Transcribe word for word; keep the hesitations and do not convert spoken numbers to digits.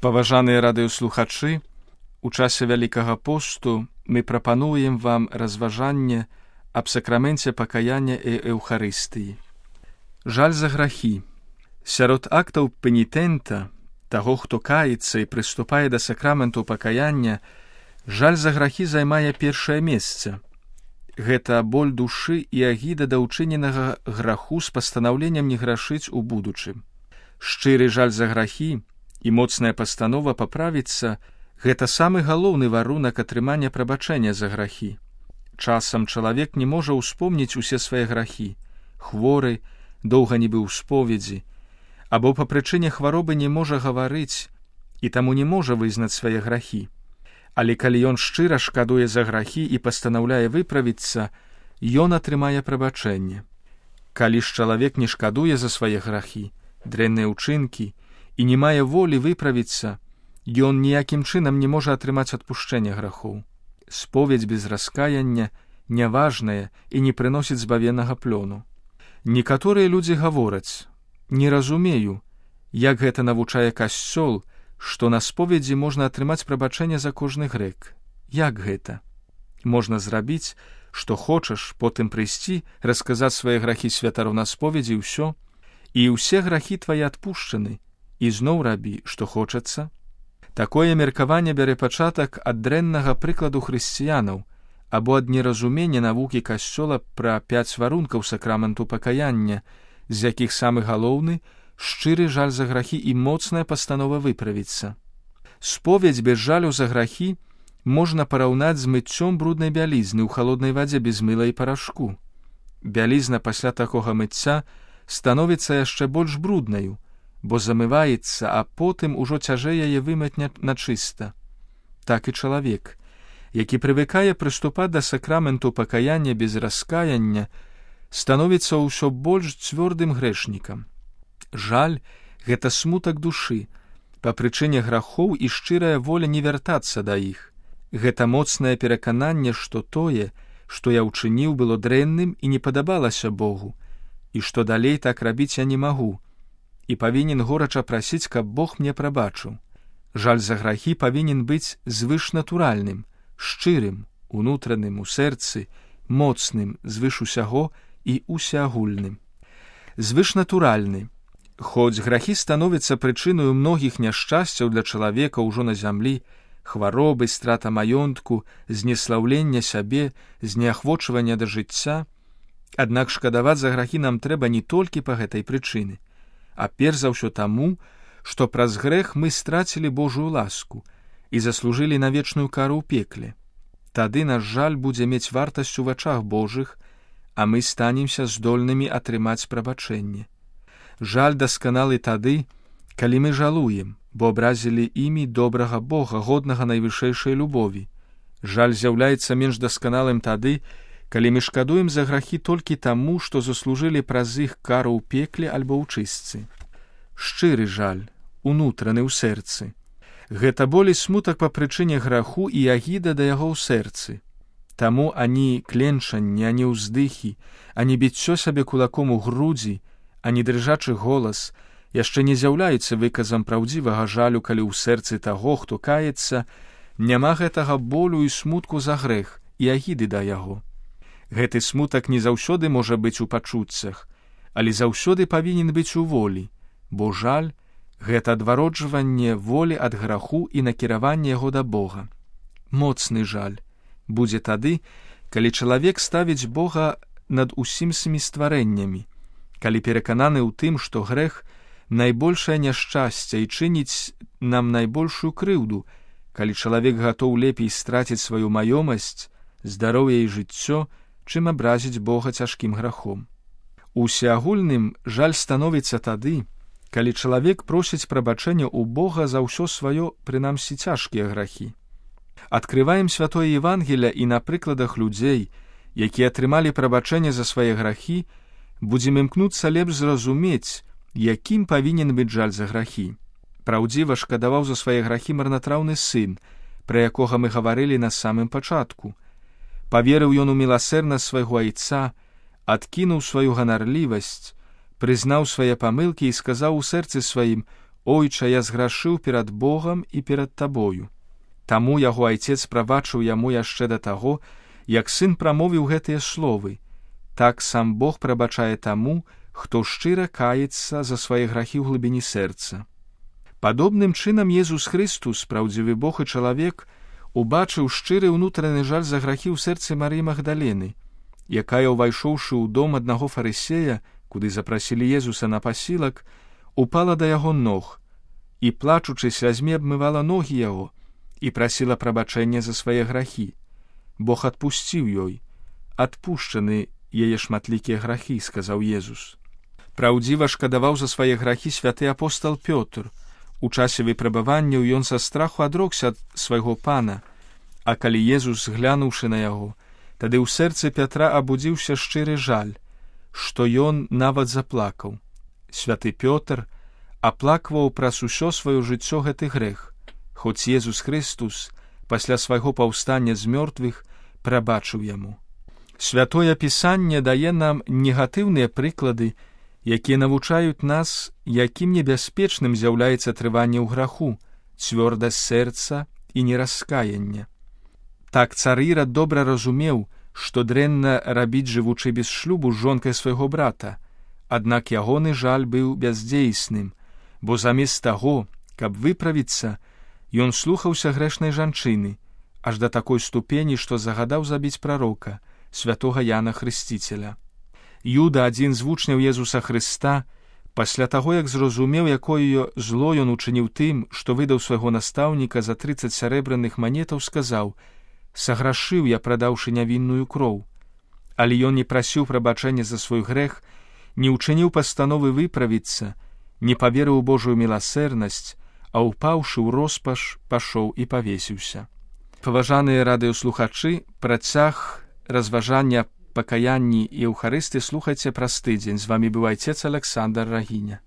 Паважаныя радыёслухачы, у часе Вялікага посту мы прапануем вам разважанне аб сакраменце пакаяння і Еўхарыстыі. Жаль за грахі. Сярод актаў пенітента, таго, хто каецца і прыступае да сакраменту пакаяння, жаль за грахі займае першае месца. Гэта боль душы і агіда да ўчыненага граху з пастанаўленнем не грашыць у будучым. Шчыры жаль за грахі і моцная пастанова паправіцца – гэта самы галоўны варунак атрымання прабачэння за грахі. Часам чалавек не можа ўспомніць усе свае грахі, хворы, доўга не быў у споведзі, або па прычыне хваробы не можа гаварыць і таму не можа вызнаць свае грахі. Але калі ён шчыра шкадуе за грахі і пастанаўляе выправіцца, ён атрымае прабачэнне. Калі ж чалавек не шкадуе за свае грахі, дрэнныя ўчынкі і не мае волі выправіцца, ён ніякім чынам не можа атрымаць адпушчэнне грахоў. Споведзь без раскаяння няважная і не прыносіць збавеннага плёну. Некаторыя людзі гавораць: «Не разумею, як гэта навучае Касцёл, што на споведзі можна атрымаць прабачэнне за кожны грэх. Як гэта? Можна зрабіць, што хочаш, потым прыйсці, расказаць свае грахі святару на споведзі і ўсё, і ўсе грахі твае адпушчаны, і зноў рабі, што хочацца». Такое меркаванне бярэ пачатак ад дрэннага прыкладу хрысціянаў або ад неразумення навукі Касцёла пра пяць варункаў сакраменту пакаяння, з якіх самы галоўны – шчыры жаль за грахі і моцная пастанова выправіцца. Споведзь без жалю за грахі можна параўнаць з мыццём бруднай бялізны ў халоднай вадзе без мыла і парашку. Бялізна пасля такога мыцця становіцца яшчэ больш бруднаю, бо замываецца, а потым ужо цяжэй яе вымыць на чыста. Так і чалавек, які прывыкае прыступаць да сакраменту пакаяння без раскаяння, становіцца ўсё больш цвёрдым грэшнікам. Жаль – гэта смутак душы, па прычыне грахоў і шчырая воля не вяртацца да іх. Гэта моцнае перакананне, што тое, што я ўчыніў, было дрэнным і не падабалася Богу, і што далей так рабіць я не магу, і павінен горача прасіць, каб Бог мне прабачыў. Жаль за грахі павінен быць звышнатуральным, шчырым, унутраным у сэрцы, моцным, звыш усяго і усеагульным. Звышнатуральны. Хоць грахі становяцца прычынаю многіх няшчасцяў для чалавека ўжо на зямлі, хваробы, страта маёнтку, знеслаўлення сябе, знеахвочвання да жыцця, аднак шкадаваць за грахі нам трэба не толькі па гэтай прычыны, а перш за ўсё таму, што праз грэх мы страцілі Божую ласку і заслужылі на вечную кару ў пекле. Тады наш жаль будзе мець вартасць у вачах Божых, а мы станемся здольнымі атрымаць прабачэнне. Жаль дасканалы тады, калі мы жалуем, бо абразілі імі добрага Бога, годнага найвышэйшай любові. Жаль з'яўляецца менш дасканалым тады, калі мы шкадуем за грахі толькі таму, што заслужылі праз іх кару ў пекле альбо ў чыстцы. Шчыры жаль, унутраны ў сэрцы. Гэта боль і смутак па прычыне граху і агіда да яго ў сэрцы. Таму ані кленчанне, ані ўздыхі, ані біццё сабе кулаком у грудзі, ані дрыжачы голас яшчэ не з'яўляюцца выказам праўдзівага жалю, калі ў сэрцы таго, хто каецца, няма гэтага болю і смутку за грэх і агіды да яго. Гэты смутак не заўсёды можа быць у пачуццях, але заўсёды павінен быць у волі, бо жаль – гэта адвароджванне волі ад граху і накіраванне яго да Бога. Моцны жаль будзе тады, калі чалавек ставіць Бога над усімі стварэннямі, калі перакананы ў тым, што грэх – найбольшае няшчасце і чыніць нам найбольшую крыўду, калі чалавек гатоў лепей страціць сваю маёмасць, здароўе і жыццё, чым абразіць Бога цяжкім грахом. Усеагульным жаль становіцца тады, калі чалавек просіць прабачэння ў Бога за ўсё сваё, прынамсі цяжкія грахі. Адкрываем святое Евангелле і на прыкладах людзей, якія атрымалі прабачэнне за свае грахі, будзем імкнуцца лепш зразумець, якім павінен быць жаль за грахі. Праўдзіва шкадаваў за свае грахі марнатраўны сын, пра якога мы гаварылі на самым пачатку. Паверыў ён у міласэрнасць свайго айца, адкінуў сваю ганарлівасць, прызнаў свае памылкі і сказаў у сэрцы сваім: «Ойча, я зграшыў перад Богам і перад табою». Таму яго айцец прабачыў яму яшчэ да таго, як сын прамовіў гэтыя словы: «Так сам Бог прабачае таму, хто шчыра каецца за свае грахі ў глыбіні сэрца». Падобным чынам Езус Хрыстус, праўдзівы Бог і чалавек, убачыў шчыры ўнутраны жаль за грахі ў сэрцы Марыі Магдалены, якая, увайшоўшы ў дом аднаго фарысея, куды запрасілі Езуса на пасілак, упала да яго ног і, плачучы слязьмі, абмывала ногі яго і прасіла прабачэння за свае грахі. Бог адпусціў ёй. «Адпушчаны яе шматлікія грахі», — сказаў Езус. Праўдзіва шкадаваў за свае грахі святы апостал Пётр. У часе выпрабаванняў ён са страху адрокся ад свайго пана, а калі Езус, глянуўшы на яго, тады ў сэрцы Пятра абудзіўся шчыры жаль, што ён нават заплакаў. Святы Пётр аплакваў праз усё сваё жыццё гэты грэх, хоць Езус Хрыстус пасля свайго паўстання з мёртвых прабачыў яму. Святое Пісанне дае нам негатыўныя прыклады, якія навучаюць нас, якім небяспечным з'яўляецца трыванне ў граху, цвёрдасць сэрца і нераскаянне. Так цар Ірад добра разумеў, што дрэнна рабіць, жывучы без шлюбу з жонкай свайго брата, аднак ягоны жаль быў бяздзейсным, бо замест таго, каб выправіцца, ён слухаўся грэшнай жанчыны, аж да такой ступені, што загадаў забіць прарока, святога Яна Хрысціцеля. Юда, адзін з вучняў Езуса Хрыста, пасля таго, як зразумеў, якое зло ён учыніў тым, што выдаў свайго настаўніка за трыццаць сярэбраных манетаў, сказаў: «Саграшыў я, прадаўшы нявінную кроў». Але ён не прасіў прабачэння за свой грэх, не ўчыніў пастановы выправіцца, не паверыў у Божую міласэрнасць, а ўпаўшы ў роспаш, пашоў і павесіўся. Паважаныя радыёслухачы, працяг разважання пакаянні і Еўхарысты слухайце праз тыдзень. З вамі быў айцец Аляксандр Рагіня.